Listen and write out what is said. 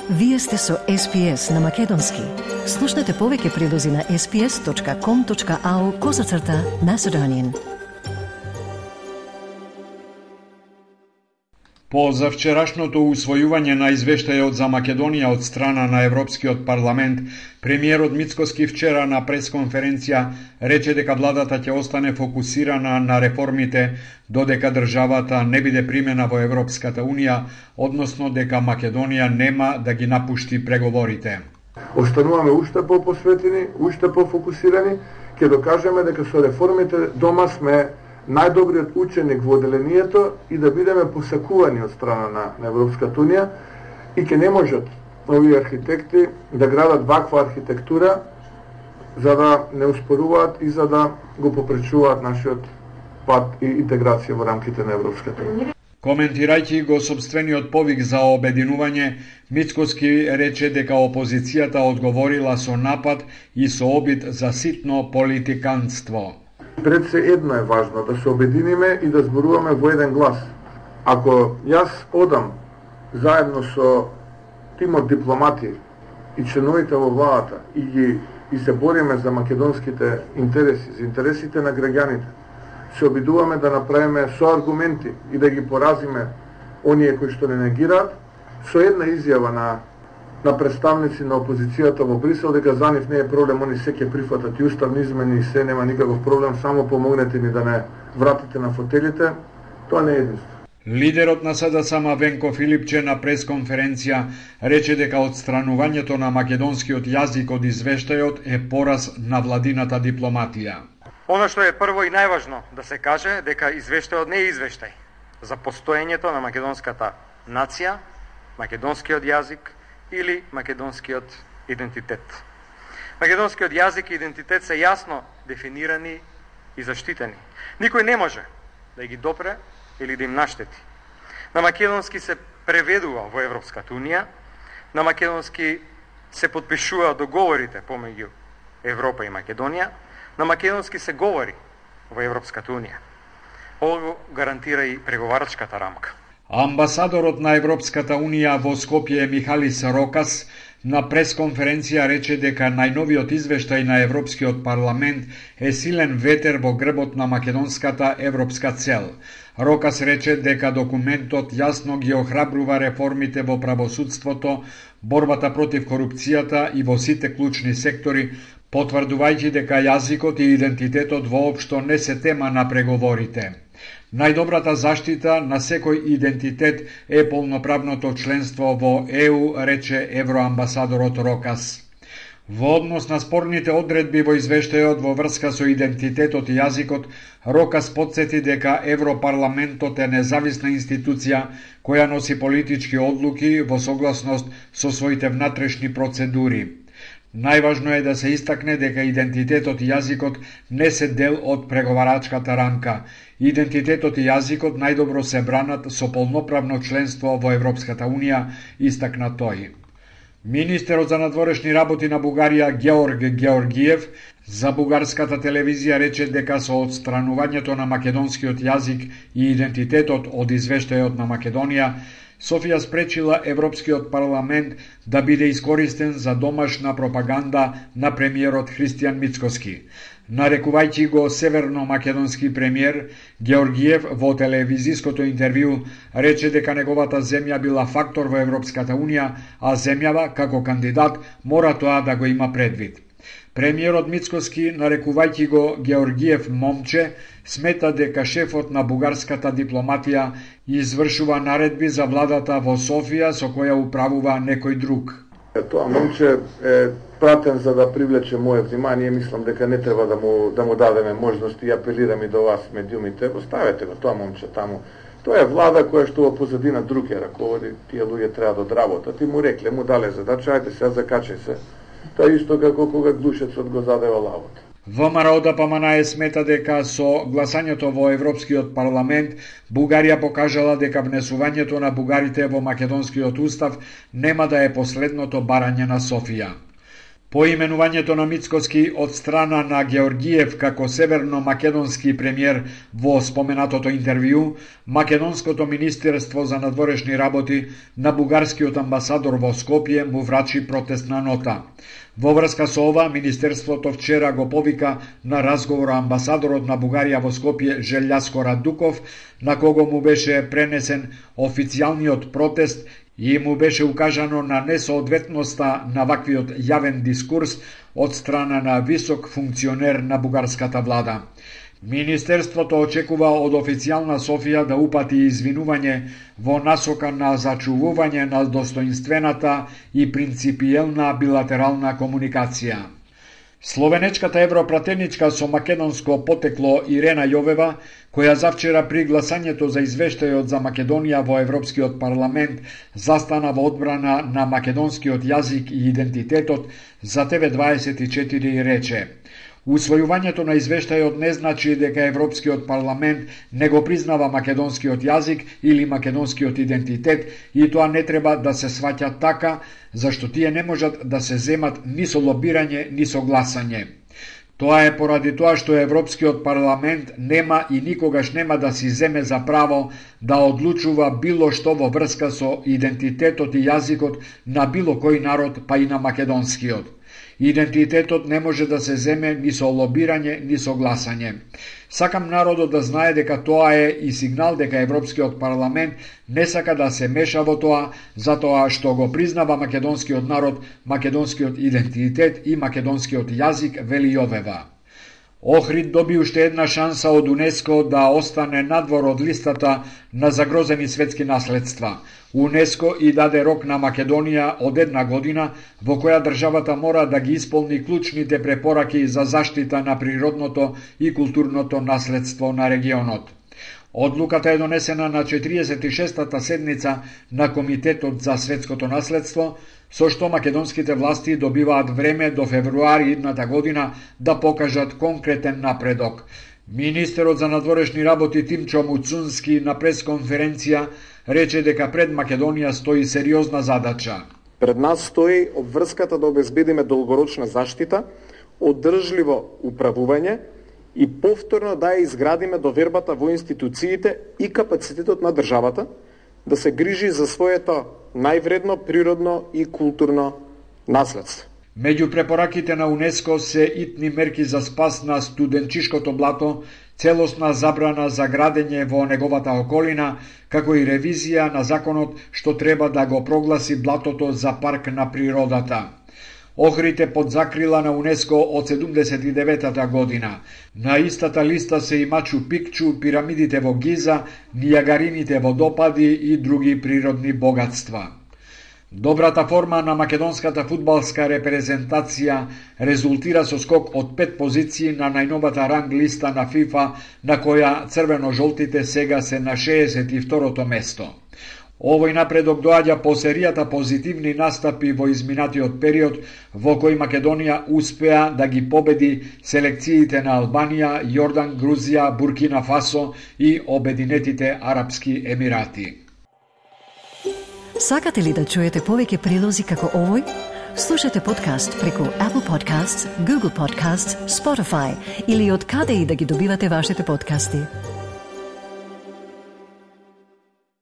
Вие сте со SPS на Македонски. Слушнете повеќе прилози на sps.com.au/Macedonian. По завчерашното усвојување на извештајот за Македонија од страна на Европскиот парламент, премиерот Мицкоски вчера на пресконференција рече дека владата ќе остане фокусирана на реформите додека државата не биде примена во Европската Унија, односно дека Македонија нема да ги напушти преговорите. Остануваме уште по-посветени, уште по-фокусирани, ќе докажеме дека со реформите дома сме најдобриот ученик во одделението и да бидеме посакувани од страна на Европската Унија и ќе не можат овие архитекти да градат ваква архитектура за да не успоруваат и за да го попречуваат нашиот пат и интеграција во рамките на Европската Унија. Коментирајќи го собствениот повик за обединување, Мицкоски рече дека опозицијата одговорила со напад и со обид за ситно политиканство. Пред се едно е важно, да се обединиме и да зборуваме во еден глас. Ако јас одам заедно со тимот дипломати и членовите во владата и се бориме за македонските интереси, за интересите на граѓаните, се обидуваме да направиме со аргументи и да ги поразиме оние кои што не негираат, со една изјава на представници на опозицијата во Брисел дека за нив не е проблем, они се ќе прифатат и уставни измени и се, нема никаков проблем, само помогнете ни да не вратите на фотелите, тоа не е единство. Лидерот на СДСМ Венко Филипче на пресконференција рече дека отстранувањето на македонскиот јазик од извештајот е пораз на владината дипломатија. Оно што е прво и најважно да се каже дека извештајот не е извештај за постоењето на македонската нација, македонскиот јазик или македонскиот идентитет. Македонскиот јазик и идентитет се јасно дефинирани и заштитени. Никој не може да ги допре или да им наштети. На македонски се преведува во Европската Унија, на македонски се потпишуваат договорите помеѓу Европа и Македонија, на македонски се говори во Европската Унија. Ово го гарантира и преговарачката рамка. Амбасадорот на Европската Унија во Скопје Михалис Рокас на пресконференција рече дека најновиот извештај на Европскиот парламент е силен ветер во грбот на македонската европска цел. Рокас рече дека документот јасно ги охрабрува реформите во правосудството, борбата против корупцијата и во сите клучни сектори, потврдувајќи дека јазикот и идентитетот воопшто не се тема на преговорите. Најдобрата заштита на секој идентитет е полноправното членство во ЕУ, рече евроамбасадорот Рокас. Во однос на спорните одредби во извештајот во врска со идентитетот и јазикот, Рокас потсети дека Европарламентот е независна институција која носи политички одлуки во согласност со своите внатрешни процедури. Најважно е да се истакне дека идентитетот и јазикот не се дел од преговарачката рамка. Идентитетот и јазикот најдобро се бранат со полноправно членство во Европската Унија, истакна тој. Министерот за надворешни работи на Бугарија Георг Георгиев за бугарската телевизија рече дека со отстранувањето на македонскиот јазик и идентитетот од извештајот на Македонија, Софија спречила Европскиот парламент да биде искористен за домашна пропаганда на премиерот Христијан Мицкоски. Нарекувајќи го северно-македонски премиер, Георгиев во телевизиското интервју рече дека неговата земја била фактор во Европската Унија, а земјава, како кандидат, мора тоа да го има предвид. Премиерот Мицкоски, нарекувајќи го Георгиев момче, смета дека шефот на бугарската дипломатија извршува наредби за владата во Софија со која управува некој друг. Тоа момче е пратен за да привлече моје внимание, мислам дека не треба да му дадеме можност и апелирам и до вас медиумите, оставете го тоа момче таму. Тоа е влада која што во позадина друг е раководи, тие луѓе треба да одработат и му рекле, му дале задача, ајде сега закачај се. Тоа исто како кога глушецот го задева лавот. ВМРО ДПМН смета дека со гласањето во Европскиот парламент Бугарија покажала дека внесувањето на бугарите во македонскиот устав нема да е последното барање на Софија. По именувањето на Мицкоски од страна на Георгиев како северно-македонски премиер во споменатото интервју, Македонското министерство за надворешни работи на бугарскиот амбасадор во Скопје му врачи протестна нота. Во врска со ова, Министерството вчера го повика на разговор амбасадорот на Бугарија во Скопје Желјаско Радуков, на кого му беше пренесен официјалниот протест и му беше укажано на несоодветноста на ваквиот јавен дискурс од страна на висок функционер на бугарската влада. Министерството очекува од официјална Софија да упати извинување во насока на зачувување на достоинствената и принципиелна билатерална комуникација. Словенечката европратеничка со македонско потекло Ирена Јовева, која завчера при гласањето за извештајот за Македонија во Европскиот парламент застана во одбрана на македонскиот јазик и идентитетот, за TV24 рече: усвојувањето на извештајот не значи дека Европскиот парламент не го признава македонскиот јазик или македонскиот идентитет и тоа не треба да се сваќа така, зашто тие не можат да се земат ни со лобирање, ни со гласање. Тоа е поради тоа што Европскиот парламент нема и никогаш нема да си земе за право да одлучува било што во врска со идентитетот и јазикот на било кој народ, па и на македонскиот. Идентитетот не може да се земе ни со лобирање, ни со гласање. Сакам народот да знае дека тоа е и сигнал дека Европскиот парламент не сака да се меша во тоа, затоа што го признава македонскиот народ, македонскиот идентитет и македонскиот јазик, вели Јовева. Охрид доби уште една шанса од УНЕСКО да остане надвор од листата на загрозени светски наследства. УНЕСКО и даде рок на Македонија од 1 година во која државата мора да ги исполни клучните препораки за заштита на природното и културното наследство на регионот. Одлуката е донесена на 46-та седница на Комитетот за светското наследство, со што македонските власти добиваат време до февруари идната година да покажат конкретен напредок. Министерот за надворешни работи Тимчо Муцунски на пресконференција рече дека пред Македонија стои сериозна задача. Пред нас стои обврската да обезбедиме долгорочна заштита, одржливо управување и повторно да ја изградиме довербата во институциите и капацитетот на државата да се грижи за своето највредно природно и културно наследство. Меѓу препораките на УНЕСКО се итни мерки за спас на студенчишкото блато, целосна забрана за градење во неговата околина, како и ревизија на законот што треба да го прогласи блатото за парк на природата. Охрид под закрила на УНЕСКО од 79-та година. На истата листа се и Мачу Пикчу, пирамидите во Гиза, Нијагарините водопади и други природни богатства. Добрата форма на македонската фудбалска репрезентација резултира со скок од 5 позиции на најновата ранг листа на ФИФА, на која црвено-жолтите сега се на 62-то место. Овој напредок доаѓа по серијата позитивни настапи во изминатиот период, во кој Македонија успеа да ги победи селекциите на Албанија, Јордан, Грузија, Буркина Фасо и Обединетите Арапски Емирати. Сакате ли да чуете повеќе прилози како овој? Слушате подкаст преку Apple Podcasts, Google Podcasts, Spotify или од каде и да ги добивате вашите подкасти.